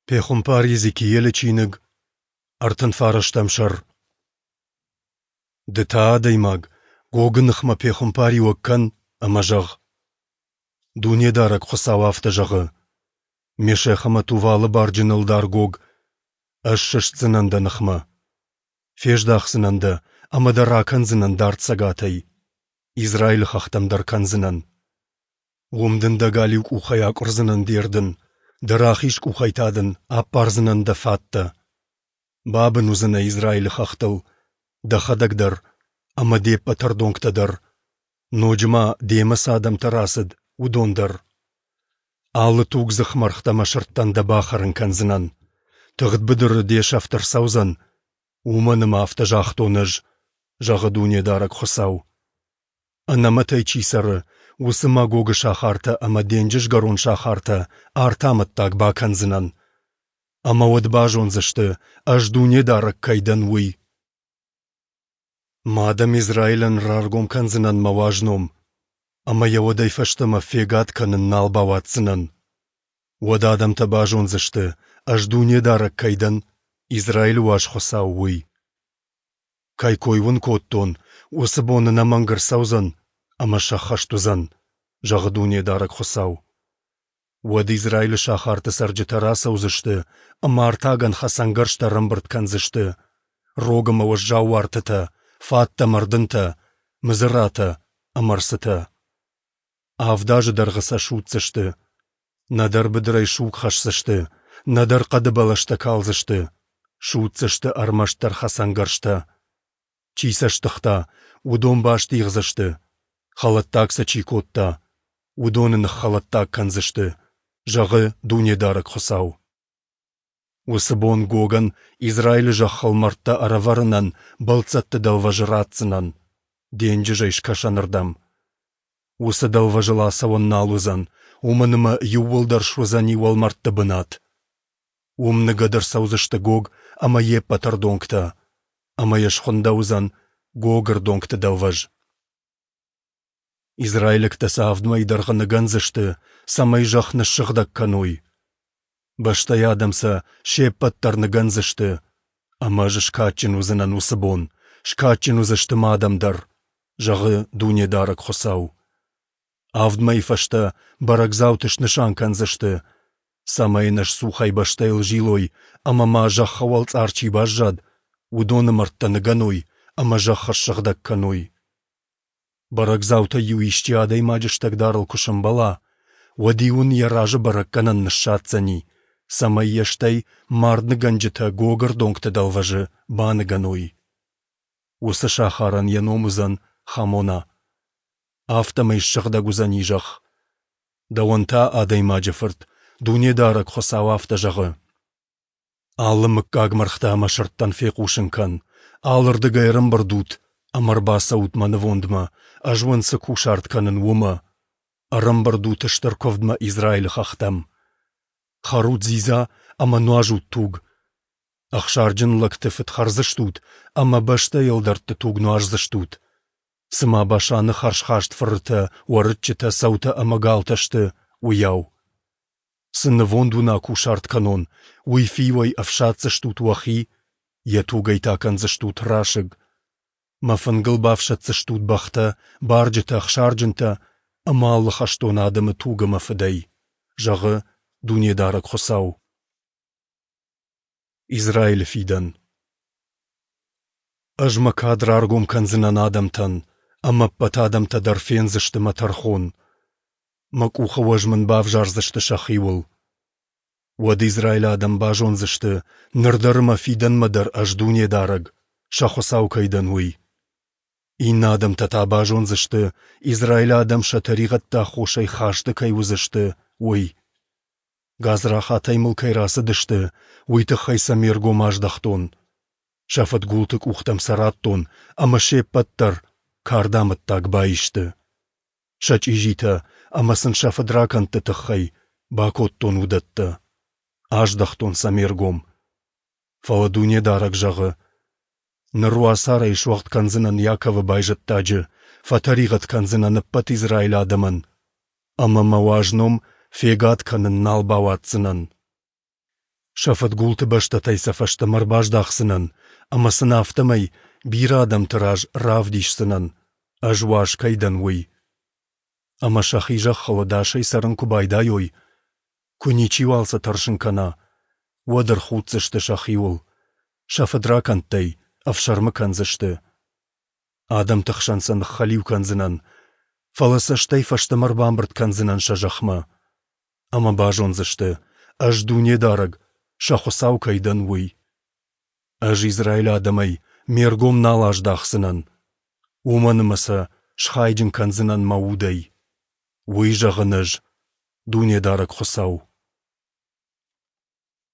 Пехуымпар Йезекиелы чиныг, 39 сӕр. Ды та, адӕймаг, Гогы ныхмӕ пехуымпариуӕг кӕн ӕмӕ зӕгъ: Дунедарӕг Хуыцау афтӕ зӕгъы: Мешех ӕмӕ Тувалы барджын ӕлдар Гог, ӕз сыстдзынӕн дӕ ныхмӕ. Фездахдзынӕн дӕ ӕмӕ дӕ ракӕндзынӕн дард цӕгатӕй. Израилы хӕхтӕм дӕр кӕндзынӕн. Уым дын дӕ галиу къухӕй акъуырдзынӕн де рдын, дӕ рахиз къухӕй та дын аппардзынӕн дӕ фаттӕ. Бабын уыдзынӕ Израилы хӕхтыл, дӕхӕдӕг дӕр ӕмӕ де ппӕт ӕрдонгтӕ дӕр, ноджы ма демӕ цы адӕмтӕ рацыд, уыдон дӕр. Алы тугдзых мӕргътӕ ӕмӕ сырдтӕн дӕ бахӕрын кӕндзынӕн. Тыгъд быдыры де сӕфт ӕрцӕудзӕн, уымӕн ӕмӕ афтӕ загътон ӕз, зӕгъы Дунедарӕг Хуыцау. Ӕнӕмӕтӕй чи цӕры, уыцы Магогы сахартӕ ӕмӕ денджызгӕрон сахартӕ арты амӕттаг бакӕндзынӕн. Ӕмӕ уӕд базондзысты, ӕз Дунедарӕг кӕй дӕн, уый. Мӕ адӕм Израилӕн раргом кӕндзынӕн мӕ уаз ном, ӕмӕ йӕ уӕдӕй фӕстӕмӕ фегад кӕнын нал бауадздзынӕн. Уӕд адӕмтӕ базондзысты, ӕз Дунедарӕг кӕй дӕн, Израилы уаз Хуыцау, уый. Кӕй кой уын кодтон, уыцы бон ӕнӕмӕнг ӕрцӕудзӕн ӕмӕ сӕххӕст уыдзӕн, зӕгъы Дунедарӕг Хуыцау. Уӕд Израилы сахарты цӕрджытӕ рацӕудзысты ӕмӕ артагӕн хӕцӕнгӕрзтӕ ӕрӕмбырд кӕндзысты, рог ӕмӕ уӕззау уартытӕ, фаттӕ ӕмӕ ӕрдынтӕ, мыдзыратӕ ӕмӕ ӕрцытӕ. Авд азы дӕргъы сӕ судздзысты. Нӕдӕр быдырӕй суг хӕсдзысты, нӕдӕр хъӕды бӕлӕстӕ калдзысты, судздзысты ӕрмӕстдӕр хӕцӕнгӕрзтӕ. Чи сӕ стыгъта, уыдон бастигъдзысты, хӕлӕттаг сӕ чи кодта, уыдоны ныххӕлӕттаг кӕндзысты, зӕгъы Дунедарӕг Хуыцау. Уыцы бон Гогӕн Израилы зӕххыл мӕрдтӕ ӕрӕвӕрынӕн бӕлццӕтты дӕлвӕзы ратдзынӕн, денджызӕй скӕсӕнырдӕм. Уыцы дӕлвӕзыл ацӕуӕн нал уыдзӕн, уымӕн ӕмӕ иууылдӕр суыдзӕни уӕлмӕрдты бынат. Уым ныгӕд ӕрцӕудзысты Гог ӕмӕ йе ппӕт ӕрдонгтӕ, ӕмӕ йӕ схуындӕуыдзӕн Гогы ӕрдонгты дӕлвӕз. Израилӕгтӕ сӕ авд мӕйы дӕргъы ныгӕндзысты, цӕмӕй зӕхх ныссыгъдӕг кӕной. Бӕстӕйы адӕм сӕ се ппӕт дӕр ныгӕндзысты, ӕмӕ ӕз скадджын уыдзынӕн уыцы бон, скадджын уыдзысты мӕ адӕм дӕр, зӕгъы Дунедарӕг Хуыцау. Авд мӕйы фӕстӕ бӕрӕгдзауты снысан кӕндзысты, цӕмӕй ӕнӕсцухӕй бӕстӕйыл зилой ӕмӕ ма зӕххы уӕлцъар чи баззад, уыдоны мӕрдтӕ ныгӕной ӕмӕ зӕхх ссыгъдӕг кӕной. Бӕрӕгдзаутӕй-иу исчи адӕймаджы стӕгдарыл куы сӕмбӕла, уӕд-иу ын йӕ разы бӕрӕггӕнӕн ныссадздзӕни, цӕмӕй йӕ стӕй мардныгӕнджытӕ Гогы ӕрдонгты дӕлвӕзы баныгӕной. Уыцы сахарӕн йӕ ном уыдзӕн Хамона. Афтӕмӕй ссыгъдӕг уыдзӕни зӕхх. Дӕуӕн та, адӕймаджы фырт, Дунедарӕг Хуыцау афтӕ зӕгъы: Алы мыггаг мӕргътӕ ӕмӕ сырдтӕн фехъусын кӕн, алырдыгӕй ӕрӕмбырд ут ӕмӕ ӕрбацӕут мӕ нывондмӕ, ӕз уын цы кусарт кӕнын, уымӕ. Ӕрӕмбырд ут стыр куывдмӕ Израилы хӕхтӕм. Хӕрут дзидза ӕмӕ нуазут туг. Ӕхсарджын лӕгты фыд хӕрдзыстут ӕмӕ бӕстӕйы ӕлдӕртты туг нуаздзыстут. Цыма Башаны хӕрзхаст фырытӕ, уӕрыччытӕ, цӕутӕ ӕмӕ галтӕ сты, уыйау. Цы нывонд уын акусарт кӕнон, уый фиуӕй ӕфсаддзыстут уӕхи, йӕ тугӕй та кӕндзыстут расыг. Мӕ фынгыл бафсаддзыстут бӕхтӕ, барджытӕ, ӕхсарджынтӕ ӕмӕ алы хӕстон адӕмы туг ӕмӕ фыдӕй, зӕгъы Дунедарӕг Хуыцау. Израилы фидӕн Ӕз мӕ кад раргом кӕндзынӕн адӕмтӕн, ӕмӕ ӕппӕт адӕмтӕ дӕр фендзысты мӕ тӕрхон. Мӕ къухы уӕз мын бавзардзысты сӕхиуыл. Уӕд Израилы адӕм базондзысты, ныр дӕр ӕмӕ фидӕнмӕ дӕр ӕз Дунедарӕг, сӕ Хуыцау кӕй дӕн, уый. Иннӕ адӕмтӕ та базондзысты, Израилы адӕм сӕ тӕригъӕдты аххосӕй хасты кӕй уыдзысты, уый. Гадзрахатӕй мыл кӕй рацыдысты, уый тыххӕй сӕ ме ргом аздӕхтон. Сӕ фыдгулты къухтӕм сӕ радтон, ӕмӕ се ппӕт дӕр кардамӕттаг баисты. Сӕ чъизитӕ ӕмӕ сын сӕ фыдракӕндты тыххӕй бакодтон уыдӕттӕ. Аздӕхтон сӕ ме ргом. Фӕлӕ Дунедарӕг зӕгъы: Ныр уацарӕй суӕгъд кӕндзынӕн Иаковы байзӕддаджы, фӕтӕригъӕд кӕндзынӕн ӕппӕт Израилы адӕмӕн, ӕмӕ мӕ уаз ном фегад кӕнын нал бауадздзынӕн. Сӕ фыдгулты бӕстӕтӕй сӕ фӕстӕмӕ ӕрбаздахдзынӕн ӕмӕ сын афтӕмӕй бирӕ адӕмты раз равдисдзынӕн, Ӕз уаз кӕй дӕн, уый. Ӕмӕ сӕхи зӕххыл ӕдасӕй цӕрын куы байдайой, куы ничиуал сӕ тӕрсын кӕна, уӕд ӕрхуддзысты сӕхиуыл, сӕ фыдракӕндтӕй ӕфсӕрмы кӕндзысты. Адӕмты хсӕн сӕ ныххӕлиу кӕндзынӕн, фӕлӕ сӕ стӕй фӕстӕмӕ ӕрбамбырд кӕндзынӕн сӕ зӕхмӕ. Ӕмӕ базондзысты, Ӕз Дунедарӕг, сӕ Хуыцау кӕй дӕн, уый. Ӕз Израилы адӕмӕй Ме ргом нал аздахдзынӕн, уымӕн ӕмӕ сӕ схайджын кӕндзынӕн Мӕ Удӕй. Уый зӕгъын Ӕз, Дунедарӕг Хуыцау.